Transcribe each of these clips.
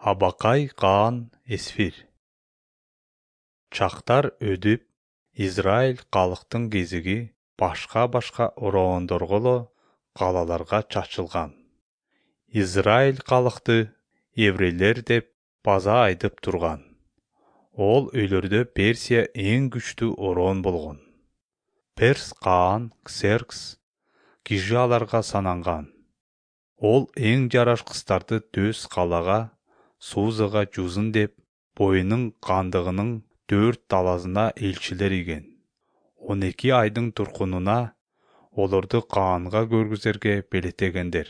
Абакай Каан Эсфир. Чактар өдүп, Израиль калктын кезиги башка ороондорголо калаларга чачылган. Израиль калкты еврейлер деп база айтып турган. Ол өйлөрдө Персия эң күчтүү ороон болгон. Перс Каан Ксеркс киши аларга сананган. Ол эң жараш кыздарды дөз калага, Сузага жузун деп, боюнун кандыгынын 4 талазына элчилер иген. 12 айдын туркунуна олорду Каанга көргүзерге белетегендер.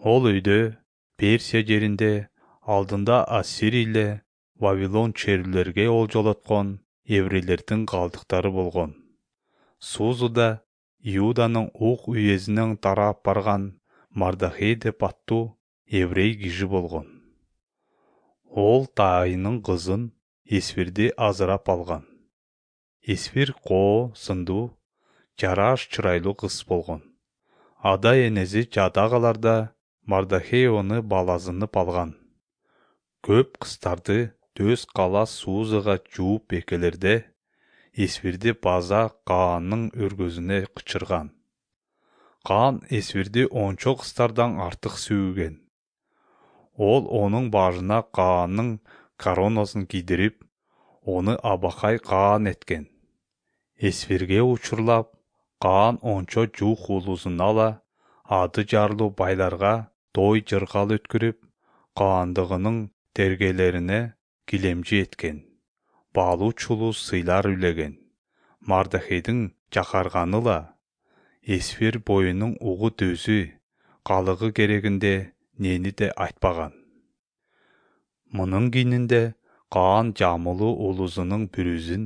Ол өйдө Персия жеринде алдында Ассирийле Вавилон черлерге олжолоткон еврейлердин калдыктары болгон. Сузуда Иуданын ук уездинен тарап барган Мардахей деп аттуу еврей киши болгон. Ол тайынын кызын Эсфирди азырап алган. Эсфир коо, сындуу, жараш чырайлуу кыз болгон. Ада энеси жадаагаларда Мардахей оны балазынып алган. Көп кыздарды дөз кала Сузага жууп экелерде, Эсфирди база Каанын өргөзүнө кычырган. Каан Эсфирди ончо кыздардан артык сүйгөн. Ол онун башына Каанын коронасун кийдирип, оны Абакай Каан эткен. Эсфирге учурлап, Каан ончо жуук улуусун ала, ады жарлуу байларга той жыргал өткүрүп, Каандыгынын тергелерине килемчи эткен. Баалуу чулуу сыйлар үлеген. Мардахейдин жакарганыла, Эсфир боюнун угу дөзү, калыгы керегинде нени де айтпаган. Мунун кийининде Каан жамылуу улуусунун бүрүзүн,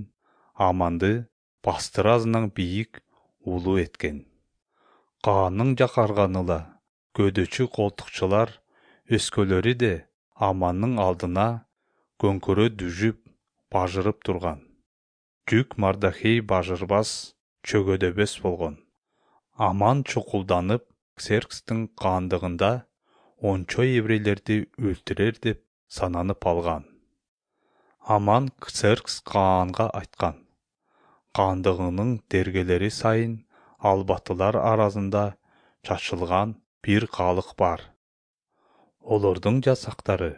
Аманды бастыразынан бийик улуу эткен. Каанын жакарганыла, көдөчү колтукчулар, өскөлөрү де Амандын алдына көңкөрө дүжүп, бажырып турган. Жүк Мардахей бажырбас, чөгөдөбөс болгон. Аман чукулданып, Ксеркстин кандыгында ончо еврейлерди өлтүрөр деп сананып алган. Аман Ксеркс Каанга айткан. Кандыгынын тергелери сайын албатылар арасында чачылган бир калык бар. Олордун жасактары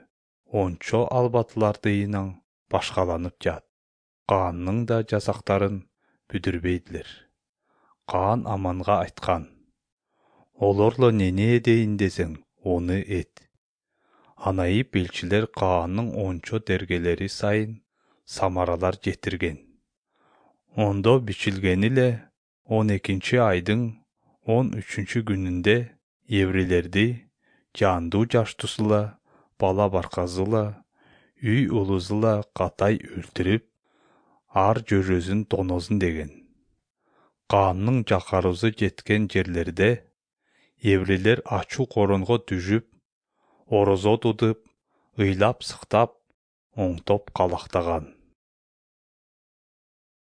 ончо албатылардыйынан башкаланып жат. Каанның да жасактарын бүдүрбейдилер. Каан Аманга айткан. Олорло нене эдейин десең, оны эт. Анайып элчилер Каанның ончо тергелери сайын самаралар жетирген. Ондо бичилгени эле 12 айдын 13 күнүндө еврейлерди жандуу жаштуусула, бала барказыла, үй улуусула катай өлтүрүп, ар жөрөсүн тоносун деген. Каанның жакаруусу жеткен жерлерде еврейлер ачуу коронго түшүп, орозо тутуп, ыйлап-сыктап, оңтоп калактаган.